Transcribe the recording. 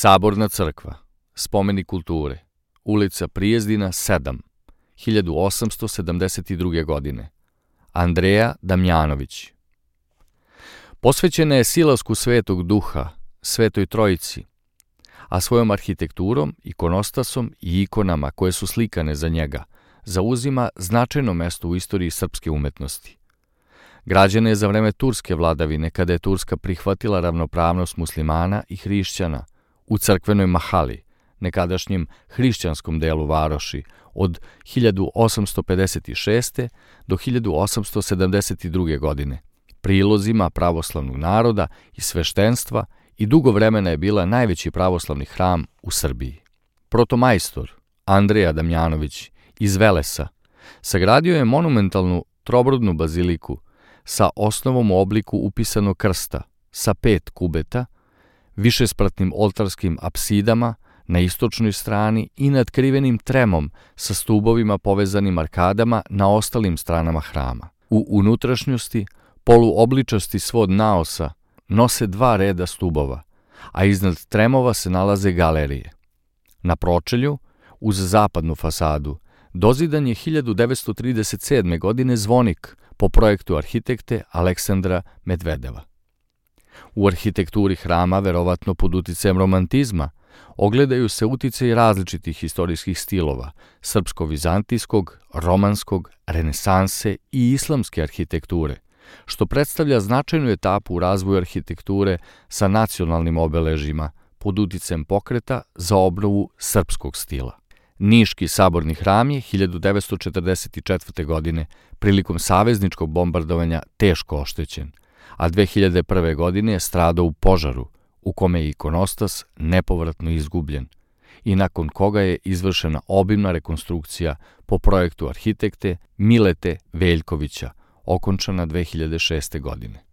Saborna crkva, spomenik kulture, ulica Prijezdina 7, 1872. godine. Andreja Damjanović. Posvećena je silasku Svetog Duha, Svetoj Trojici, a svojom arhitekturom, ikonostasom i ikonama koje su slikane za njega, zauzima značajno mesto u istoriji srpske umetnosti. Građena je za vreme turske vladavine, kada je Turska prihvatila ravnopravnost muslimana i hrišćana u crkvenoj mahali, nekadašnjem hrišćanskom delu varoši, od 1856. do 1872. godine, prilozima pravoslavnog naroda i sveštenstva, i dugo vremena je bila najveći pravoslavni hram u Srbiji. Protomajstor Andreja Damjanović iz Velesa sagradio je monumentalnu trobrodnu baziliku sa osnovom u obliku upisanog krsta, sa 5 kubeta, višespratnim oltarskim apsidama na istočnoj strani i nadkrivenim tremom sa stubovima povezanim arkadama na ostalim stranama hrama. U unutrašnjosti poluobličasti svod naosa nose 2 reda stubova, a iznad tremova se nalaze galerije. Na pročelju, uz zapadnu fasadu, dozidan je 1937. godine zvonik po projektu arhitekte Aleksandra Medvedeva. U arhitekturi hrama, verovatno pod uticajem romantizma, ogledaju se uticaji različitih istorijskih stilova, srpsko-vizantijskog, romanskog, renesanse i islamske arhitekture, što predstavlja značajnu etapu u razvoju arhitekture sa nacionalnim obeležjima pod uticajem pokreta za obnovu srpskog stila. Niški saborni hram je 1944. godine prilikom savezničkog bombardovanja teško oštećen, a 2001. godine je stradao u požaru u kome je ikonostas nepovratno izgubljen i nakon koga je izvršena obimna rekonstrukcija po projektu arhitekte Milete Veljkovića, okončana 2006. godine.